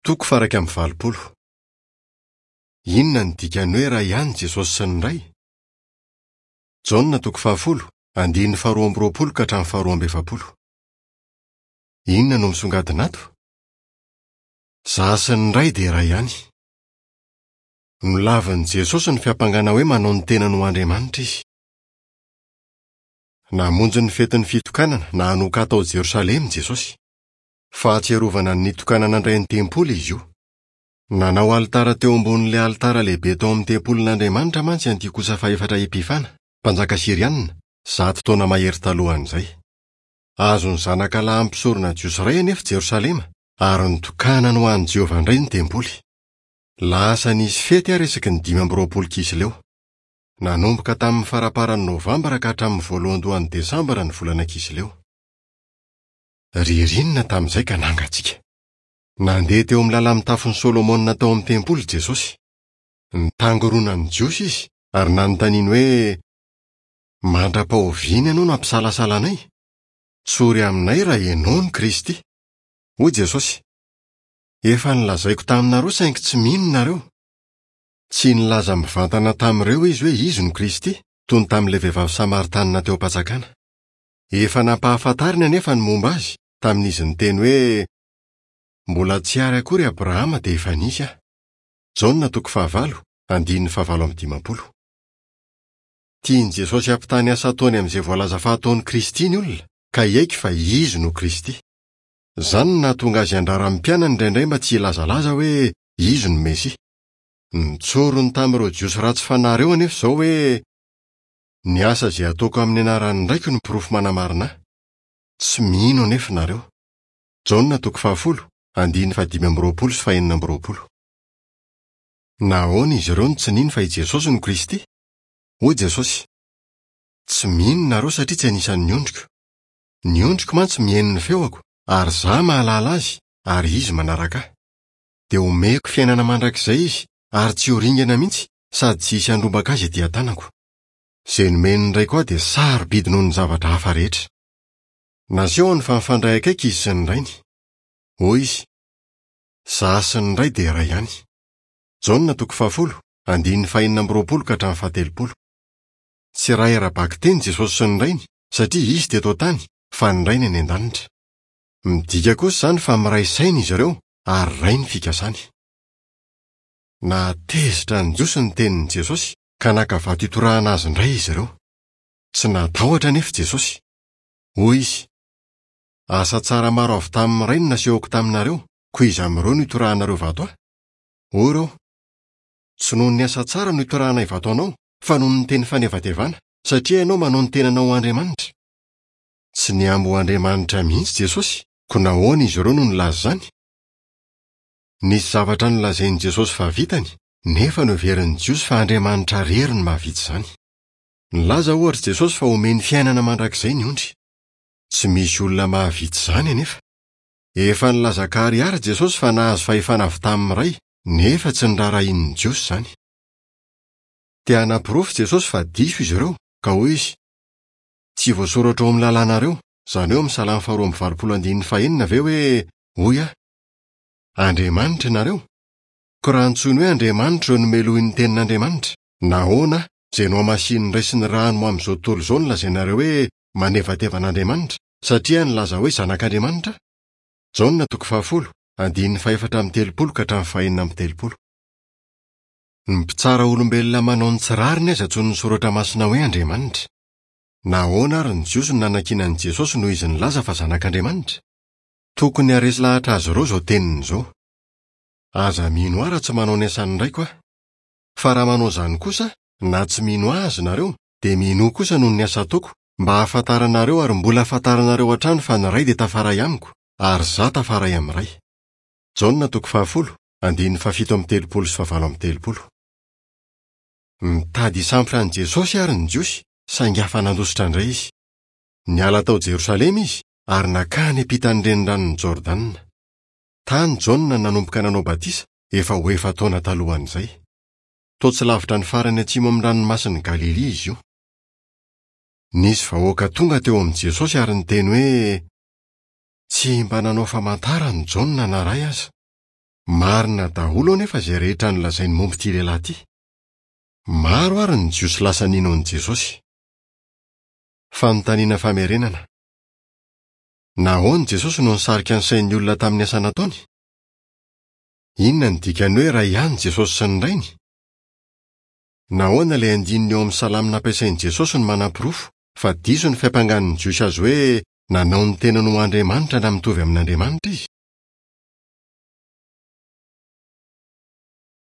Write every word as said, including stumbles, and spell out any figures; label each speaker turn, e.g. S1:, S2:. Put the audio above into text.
S1: Toko faha-iraika amby valopolo. Inona no dikan'ny hoe iray ihany Jesosy sy ny Ray? Jaona toko fahafolo, andininy faharoa amby roapolo ka hatramin'ny faharoa amby efapolo. Inona no misongadina ato? Izaho sy ny Ray dia iray ihany. Nolavin'i Jesosy ny fiampangana hoe manao ny tenany ho Andriamanitra izy. Namonjy ny fetin'ny fitokanana na Hanoka tao Jerosalema Jesosy. Fahatsiarovana ny nitokanana indray ny tempoly izy io. Nanao alitara teo ambonin'ilay alitara lehibe tao amin'ny tempolin'Andriamanitra mantsy Antiokosa fahefatra Epifana, mpanjaka syrianina, zato taona mahery talohan'izay. Azon'ny zanaka lahin'ny mpisorona jiosy iray anefa Jerosalema, ary nitokanany ho an'i Jehovah indray ny tempoly. Lasa nisy fety àry isaky ny dimy amby roapolo Kisleo. Nanomboka tamin'ny faramparan'ny Novambra ka hatramin'ny voalohandohan'ny Desambra ny volana Kisleo. Ririnina tamin'izay ka nangatsiaka. Nandeha teo amin'ny lala-mitafon'i Solomona tao amin'ny tempoly Jesosy. Nitangoronan'ny Jiosy izy ary nanontaniany hoe, Mandra-pahoviana ianao no hampisalasala anay? Tsory aminay raha ianao no Kristy. Hoy Jesosy, Efa nolazaiko taminareo saingy tsy mino nareo. Tsy nilaza mivantana tamin'ireo izy hoe izy no Kristy, toy ny tamin'ilay vehivavy Samaritanina teo am-panjakana. Efa nampahafantariny anefa ny momba azy, tamin'izy niteny hoe, Mbola tsy ary akory Abrahama dia efa nisy aho. Jaona toko fahavalo, andininy fahavalo amby dimampolo. Tian'i Jesosy hampitaha ny asa ataony amin'izay voalaza fa ataon'i Kristy ny olona, ka hiaiky fa izy no Kristy. Izany no nahatonga azy handrara ny mpianany indraindray mba tsy hilazalaza hoe izy no Mesia. Notsoriny tamin'ireo Jiosy ratsy fanahy ireo anefa izao hoe, Ny asa izay ataoko amin'ny anaran'ny Raiko no porofo manamarina ahy. Tsy mino anefa nareo. Jaona toko fahafolo, andininy fahadimy amby roapolo sy fahenina amby roapolo. Nahoana izy ireo no tsy nino fa i Jesosy no Kristy? Hoy Jesosy, Tsy mino nareo satria tsy anisan'ny ondriko. Ny ondriko mantsy mihaino ny feoko, ary izaho mahalala azy, ary izy manaraka ahy. Dia omeko fiainana mandrakizay izy, ary tsy ho ringana mihitsy, sady tsy hisy handrombaka azy ety an-tanako. Izay nomen'ny Raiko ahy dia sarobidy noho ny zavatra hafa rehetra. Nasehony fa mifandray akaiky izy sy ny Rainy. Hoy izy, Izaho sy ny Ray dia iray ihany. Jaona toko fahafolo, andininy fahenina amby roapolo ka hatramin'ny fahatelopolo. Tsy iray ara-bakiteny Jesosy sy ny Rainy, satria izy teto an-tany, fa ny Rainy any an-danitra. Midika kosa izany fa miray saina izy ireo ary iray ny fikasany. Nahatezitra ny Jiosy ny tenin'i Jesosy, ka naka vato hitorahana azy indray izy ireo. Tsy natahotra anefa Jesosy. Hoy izy, Asa tsara maro avy tamin'ny Ray no nasehoko taminareo, koa iza amin'ireo no itorahanareo vato ahy? Hoy ireo, Tsy noho ny asa tsara no itorahanay vato anao, fa noho ny teny fanevatevana, satria ianao manao ny tenanao ho Andriamanitra. Tsy nihambo ho Andriamanitra mihitsy Jesosy, koa nahoana izy ireo no nilaza izany? Nisy zavatra nolazain'i Jesosy fa vitany, nefa noheverin'ny Jiosy fa Andriamanitra irery no mahavita izany. Nilaza, ohatra, Jesosy fa homeny fiainana mandrakizay ny ondry. Tsy misy olona mahavita izany anefa. Efa nilaza an-karihary Jesosy fa nahazo fahefana avy tamin'ny Ray, nefa tsy noraharahian'ny Jiosy izany. Te hanaporofo Jesosy fa diso izy ireo, ka hoy izy, Tsy voasoratra ao amin'ny lalànareo, izany hoe ao amin'ny Salamo faharoa amby valopolo andininy fahenina ve hoe, 'Hoy aho, Andriamanitra ianareo? Koa raha antsoiny hoe Andriamanitra ireo nomelohin'ny tenin'Andriamanitra, nahoana izay nohamasinin'ny Ray sy ny rano ho amin'izao tontolo izao no lazainareo hoe manevateva an'Andriamanitra, satria nilaza hoe Zanak'Andriamanitra aho? Jaona toko fahafolo, andininy fahefatra amby telopolo ka hatramin'ny fahenina amby telopolo. Ny mpitsara olombelona manao ny tsy rariny aza antsoin'ny Soratra Masina hoe Andriamanitra. Nahoana àry ny Jiosy no nanakiana an'i Jesosy noho izy nilaza fa Zanak'Andriamanitra? Tokony haharesy lahatra azy ireo izao teniny izao, Aza mino ahy raha tsy manao ny asan'ny Raiko aho. Fa raha manao izany kosa, na tsy mino ahy aza nareo, dia minoa kosa noho ny asa ataoko, mba hahafantaranareo ary mbola hahafantaranareo hatrany fa ny Ray dia tafaray amiko, ary izaho tafaray amin'ny Ray. Jaona toko fahafolo, andininy fahafito amby telopolo sy fahavalo amby telopolo. Nitady hisambotra an'i Jesosy àry ny Jiosy, saingy afa-nandositra indray izy. Niala tao Jerosalema izy ary nankany ampitan'ny Reniranon'i Jordana. Tany Jaona no nanomboka nanao batisa, efa ho efa-taona talohan'izay. Toa tsy lavitra ny farany atsimo amin'ny Ranomasin'i Galilia izy io. Nisy vahoaka tonga teo amin'i Jesosy ary niteny hoe, Tsy mba nanao famantarana i Jaona na iray aza. Marina daholo anefa izay rehetra nolazainy momba ity lehilahy ity. Maro àry ny Jiosy lasa nino an'i Jesosy. Fanontaniana famerenana. Nahoana Jesosy no nisarika ny sain'ny olona tamin'ny asa nataony? Inona ny dikan'ny hoe iray ihany Jesosy sy ny Rainy? Nahoana ilay andininy eo amin'ny salamo nampiasain'i Jesosy no manaporofo fa diso ny fiampangan'ny Jiosy azy hoe nanao ny tenany ho Andriamanitra na mitovy amin'Andriamanitra izy?